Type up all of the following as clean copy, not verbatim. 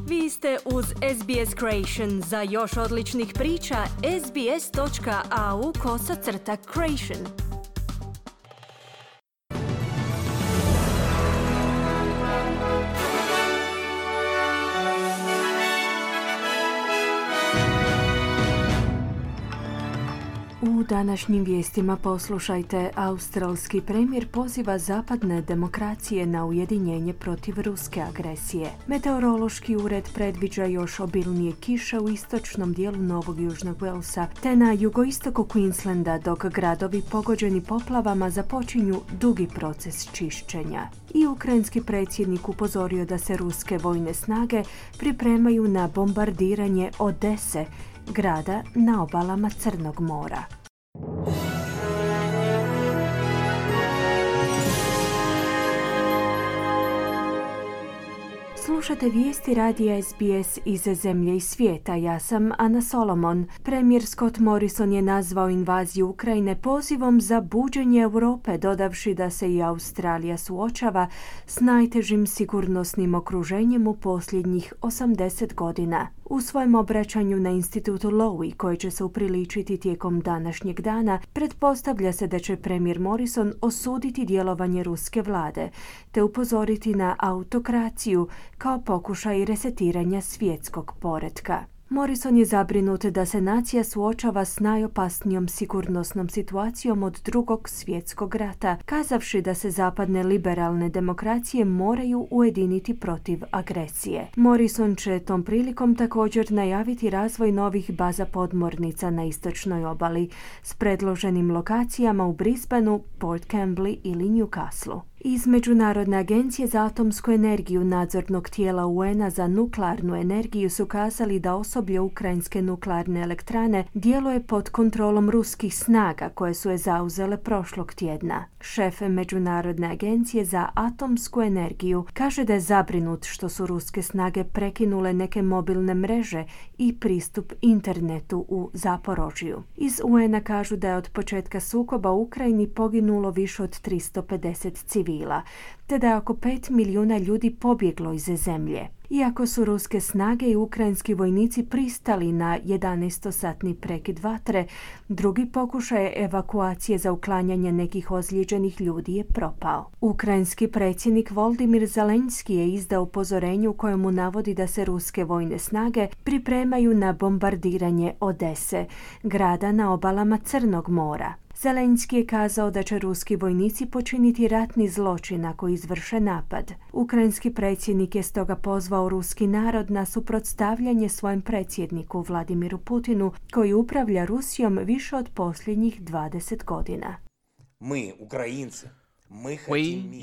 Vi ste uz SBS Creation. Za još odličnih priča, sbs.au/creation. U današnjim vijestima poslušajte, australski premijer poziva zapadne demokracije na ujedinjenje protiv ruske agresije. Meteorološki ured predviđa još obilnije kiše u istočnom dijelu Novog Južnog Walesa, te na jugoistoku Queenslanda, dok gradovi pogođeni poplavama započinju dugi proces čišćenja. I ukrajinski predsjednik upozorio da se ruske vojne snage pripremaju na bombardiranje Odese, grada na obalama Crnog mora. Slušate vijesti radija SBS iz zemlje i svijeta. Ja sam Ana Solomon. Premijer Scott Morrison je nazvao invaziju Ukrajine pozivom za buđenje Europe, dodavši da se i Australija suočava s najtežim sigurnosnim okruženjem u posljednjih 80 godina. U svojem obraćanju na institutu Lowy, koji će se upriličiti tijekom današnjeg dana, pretpostavlja se da će premijer Morrison osuditi djelovanje ruske vlade, te upozoriti na autokraciju kao pokušaj resetiranja svjetskog poretka. Morrison je zabrinut da se nacija suočava s najopasnijom sigurnosnom situacijom od Drugog svjetskog rata, kazavši da se zapadne liberalne demokracije moraju ujediniti protiv agresije. Morrison će tom prilikom također najaviti razvoj novih baza podmornica na istočnoj obali s predloženim lokacijama u Brisbaneu, Port Campbellu ili Newcastleu. Iz Međunarodne agencije za atomsku energiju nadzornog tijela UN-a za nuklearnu energiju su kazali da osoblje ukrajinske nuklearne elektrane djeluje pod kontrolom ruskih snaga koje su je zauzele prošlog tjedna. Šef Međunarodne agencije za atomsku energiju kaže da je zabrinut što su ruske snage prekinule neke mobilne mreže i pristup internetu u Zaporožju. Iz UN-a kažu da je od početka sukoba u Ukrajini poginulo više od 350 civila, te da je oko 5 milijuna ljudi pobjeglo iz zemlje. Iako su ruske snage i ukrajinski vojnici pristali na 11-satni prekid vatre, drugi pokušaj evakuacije za uklanjanje nekih ozlijeđenih ljudi je propao. Ukrajinski predsjednik Volodymyr Zelenski je izdao upozorenje u kojemu navodi da se ruske vojne snage pripremaju na bombardiranje Odese, grada na obalama Crnog mora. Zelenski je kazao da će ruski vojnici počiniti ratni zločin ako izvrše napad. Ukrajinski predsjednik je stoga pozvao ruski narod na suprotstavljanje svojem predsjedniku Vladimiru Putinu, koji upravlja Rusijom više od posljednjih 20 godina. We,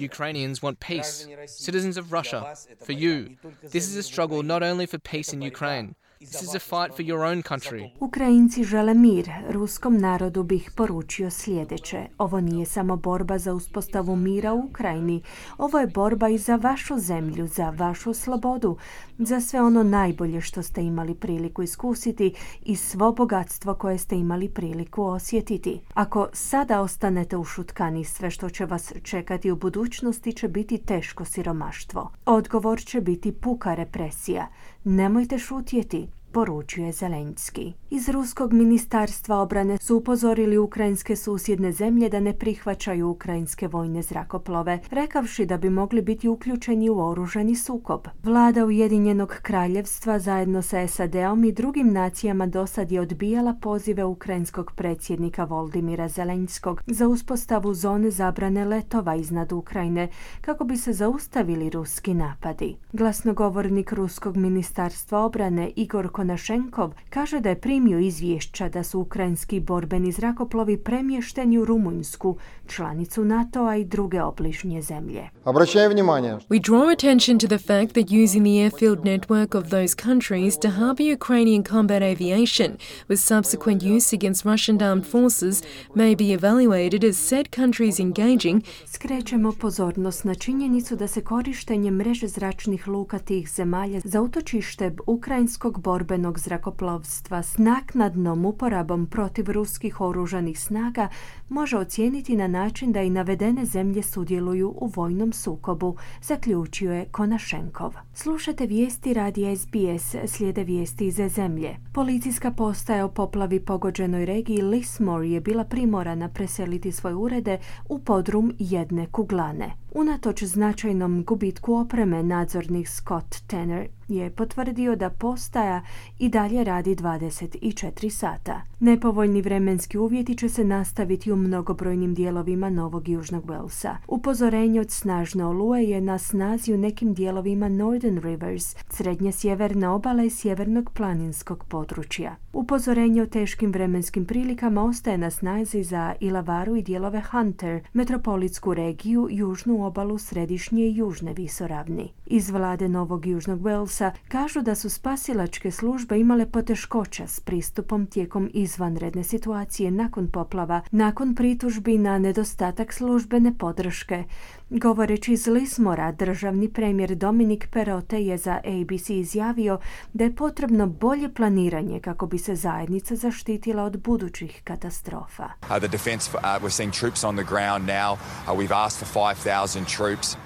Ukrainians, want peace. Citizens of Russia, for you. This is a struggle not only for peace in Ukraine. This is a fight for your own country. Ukrajinci žele mir. Ruskom narodu bih poručio sljedeće. Ovo nije samo borba za uspostavu mira u Ukrajini. Ovo je borba i za vašu zemlju, za vašu slobodu, za sve ono najbolje što ste imali priliku iskusiti i svo bogatstvo koje ste imali priliku osjetiti. Ako sada ostanete ušutkani, sve što će vas čekati u budućnosti će biti teško siromaštvo. Odgovor će biti puka represija. Nemojte šutjeti, poručuje Zelenski. Iz Ruskog ministarstva obrane su upozorili ukrajinske susjedne zemlje da ne prihvaćaju ukrajinske vojne zrakoplove, rekavši da bi mogli biti uključeni u oružani sukob. Vlada Ujedinjenog kraljevstva zajedno sa SAD-om i drugim nacijama dosad je odbijala pozive ukrajinskog predsjednika Volodymyra Zelenskog za uspostavu zone zabrane letova iznad Ukrajine kako bi se zaustavili ruski napadi. Glasnogovornik Ruskog ministarstva obrane Igor Konašenkov kaže da je primio izvješća da su ukrajinski borbeni zrakoplovi premješteni u Rumunjsku, članicu NATO-a i druge obližnje zemlje. We draw attention to the fact that using the airfield network of those countries to harbor Ukrainian combat aviation with subsequent use against Russian armed forces may be evaluated as said countries engaging. Skrećemo pozornost na činjenicu da se korištenje mreže zračnih luka tih zemalja za utočište ukrajinskog borbenog borbenog zrakoplovstva s naknadnom uporabom protiv ruskih oružanih snaga može ocijeniti na način da i navedene zemlje sudjeluju u vojnom sukobu, zaključio je Konašenkov. Slušate vijesti radija SBS, slijede vijesti iz zemlje. Policijska postaja u poplavi pogođenoj regiji Lismore je bila primorana preseliti svoje urede u podrum jedne kuglane. Unatoč značajnom gubitku opreme, nadzornik Scott Tanner je potvrdio da postaja i dalje radi 24 sata. Nepovoljni vremenski uvjeti će se nastaviti u mnogobrojnim dijelovima Novog Južnog Walesa. Upozorenje od snažne oluje je na snazi u nekim dijelovima Northern Rivers, srednje sjeverne obale i sjevernog planinskog područja. Upozorenje o teškim vremenskim prilikama ostaje na snazi za Ilavaru i dijelove Hunter, metropolitsku regiju, južnu obalu središnje i južne visoravni. Iz vlade Novog Južnog Walesa kažu da su spasilačke službe imale poteškoća s pristupom tijekom izvanredne situacije nakon poplava, nakon pritužbi na nedostatak službene podrške. Govoreći iz Lismora, državni premijer Dominic Perrottet je za ABC izjavio da je potrebno bolje planiranje kako bi se zajednica zaštitila od budućih katastrofa.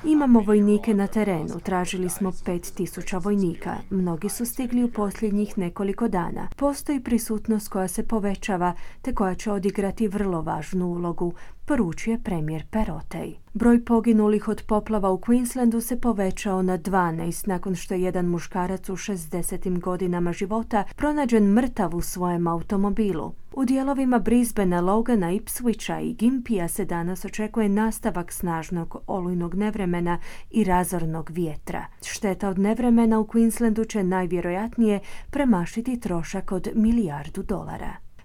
Imamo vojnike na terenu, tražili smo 5,000 vojnika. Mnogi su stigli u posljednjih nekoliko dana. Postoji prisutnost koja se povećava te koja će odigrati vrlo važnu ulogu, poručuje premijer Perrottet. Broj poginulih od poplava u Queenslandu se povećao na 12 nakon što je jedan muškarac u 60. godinama života pronađen mrtav u svojem automobilu. U dijelovima Brisbanea, Logana, Ipswicha i Gympia se danas očekuje nastavak snažnog olujnog nevremena i razornog vjetra. Šteta od nevremena u Queenslandu će najvjerojatnije premašiti trošak od $1 milijardu.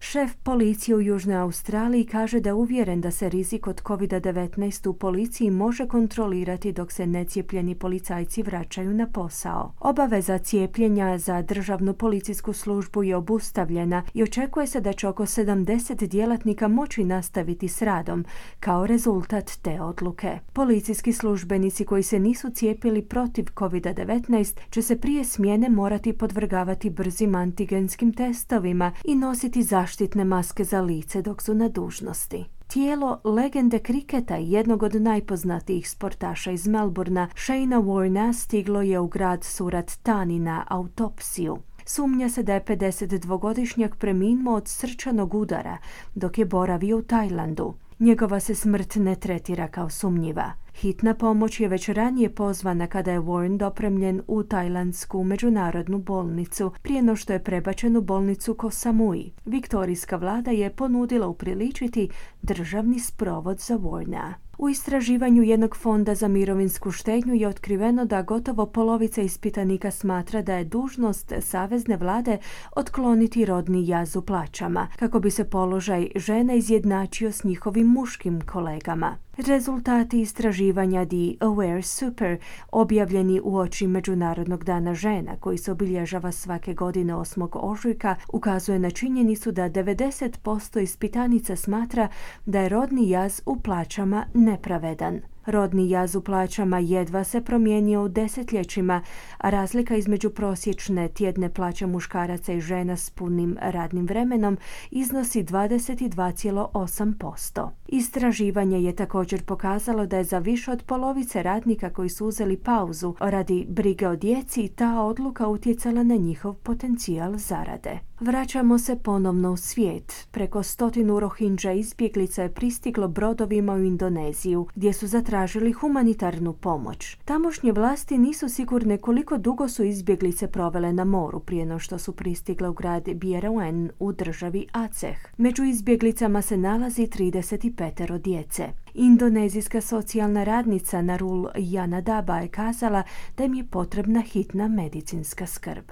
Šef policije u Južnoj Australiji kaže da je uvjeren da se rizik od COVID-19 u policiji može kontrolirati dok se necijepljeni policajci vraćaju na posao. Obaveza cijepljenja za državnu policijsku službu je obustavljena i očekuje se da će oko 70 djelatnika moći nastaviti s radom kao rezultat te odluke. Policijski službenici koji se nisu cijepili protiv COVID-19 će se prije smjene morati podvrgavati brzim antigenskim testovima i nositi zaštitne maske za lice dok su na dužnosti. Tijelo legende kriketa i jednog od najpoznatijih sportaša iz Melbournea, Shayna Warnea, stiglo je u grad Surat Thani na autopsiju. Sumnja se da je 52-godišnjak preminuo od srčanog udara dok je boravio u Tajlandu. Njegova se smrt ne tretira kao sumnjiva. Hitna pomoć je već ranije pozvana kada je Warren dopremljen u tajlandsku međunarodnu bolnicu prije no što je prebačen u bolnicu Koh Samui. Viktorijska vlada je ponudila upriličiti državni sprovod za Warrena. U istraživanju jednog fonda za mirovinsku štednju je otkriveno da gotovo polovica ispitanika smatra da je dužnost savezne vlade otkloniti rodni jaz u plaćama, kako bi se položaj žena izjednačio s njihovim muškim kolegama. Rezultati istraživanja The Aware Super, objavljeni uoči Međunarodnog dana žena, koji se obilježava svake godine 8. ožujka, ukazuje na činjenicu da 90% ispitanica smatra da je rodni jaz u plaćama nepravedan. Rodni jaz u plaćama jedva se promijenio u desetljećima, a razlika između prosječne tjedne plaće muškaraca i žena s punim radnim vremenom iznosi 22,8%. Istraživanje je također pokazalo da je za više od polovice radnika koji su uzeli pauzu radi brige o djeci ta odluka utjecala na njihov potencijal zarade. Vraćamo se ponovno u svijet. Preko 100 Rohingya izbjeglica je pristiglo brodovima u Indoneziju, gdje su zatražili humanitarnu pomoć. Tamošnje vlasti nisu sigurne koliko dugo su izbjeglice provele na moru prije no što su pristigle u grad Bierauen u državi Aceh. Među izbjeglicama se nalazi 35 djece. Indonezijska socijalna radnica Narul Yanadaba je kazala da im je potrebna hitna medicinska skrb.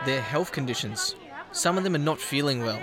Their health conditions. Some of them are not feeling well.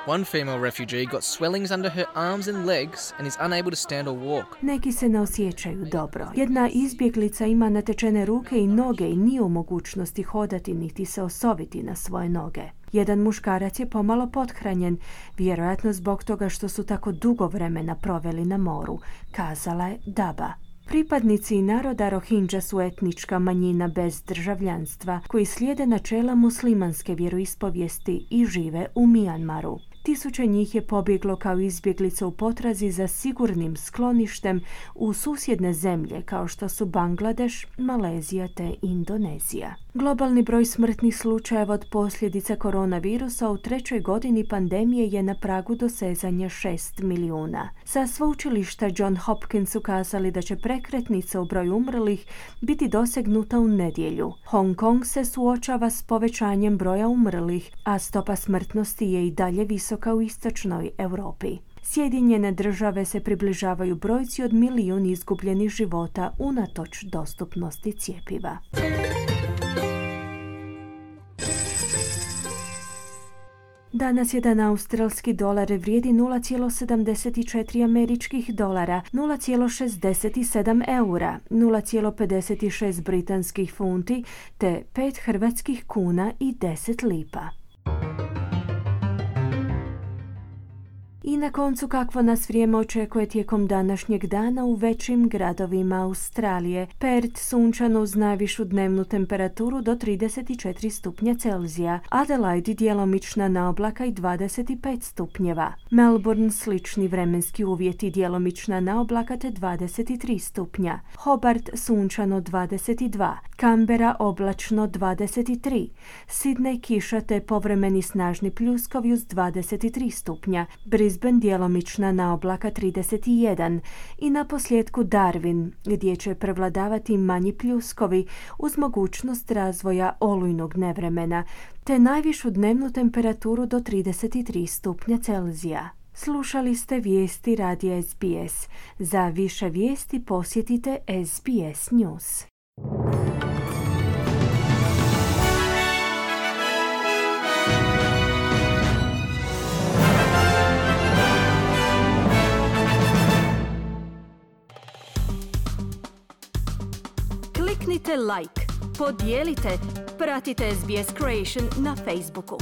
One female refugee got swellings under her arms and legs and is unable to stand or walk. Neki se ne osjećaju dobro. Jedna izbjeglica ima natečene ruke i noge i nije u mogućnosti hodati niti se osoviti na svoje noge. Jedan muškarac je pomalo pothranjen, vjerojatno zbog toga što su tako dugo vremena proveli na moru, kazala je Daba. Pripadnici naroda Rohingya su etnička manjina bez državljanstva koji slijede načela muslimanske vjeroispovijesti i žive u Mijanmaru. Tisuće njih je pobjeglo kao izbjeglice u potrazi za sigurnim skloništem u susjedne zemlje kao što su Bangladeš, Malezija te Indonezija. Globalni broj smrtnih slučajeva od posljedica koronavirusa u 3. godini pandemije je na pragu dosezanja 6 milijuna. Sa sveučilišta John Hopkins ukazali da će prekretnica u broju umrlih biti dosegnuta u nedjelju. Hong Kong se suočava s povećanjem broja umrlih, a stopa smrtnosti je i dalje visoka u istočnoj Europi. Sjedinjene države se približavaju brojci od 1 milijun izgubljenih života unatoč dostupnosti cjepiva. Danas jedan australski dolar vrijedi 0,74 američkih dolara, 0,67 eura, 0,56 britanskih funti te 5 hrvatskih kuna i 10 lipa. I na koncu kakvo nas vrijeme očekuje tijekom današnjeg dana u većim gradovima Australije. Perth sunčano uz najvišu dnevnu temperaturu do 34 stupnja Celzija, Adelaide djelomična naoblaka i 25 stupnjeva. Melbourne slični vremenski uvjeti, djelomična naoblaka te 23 stupnja. Hobart sunčano 22, Canberra oblačno 23, Sydney kiša te povremeni snažni pljuskovi uz 23 stupnja, Brisbane djelomična naoblaka 31 i na posljedku Darwin gdje će prevladavati manji pljuskovi uz mogućnost razvoja olujnog nevremena te najvišu dnevnu temperaturu do 33 stupnja Celzija. Slušali ste vijesti radija SBS. Za više vijesti posjetite SBS News. Kliknite like, podijelite, pratite SBS Creation na Facebooku.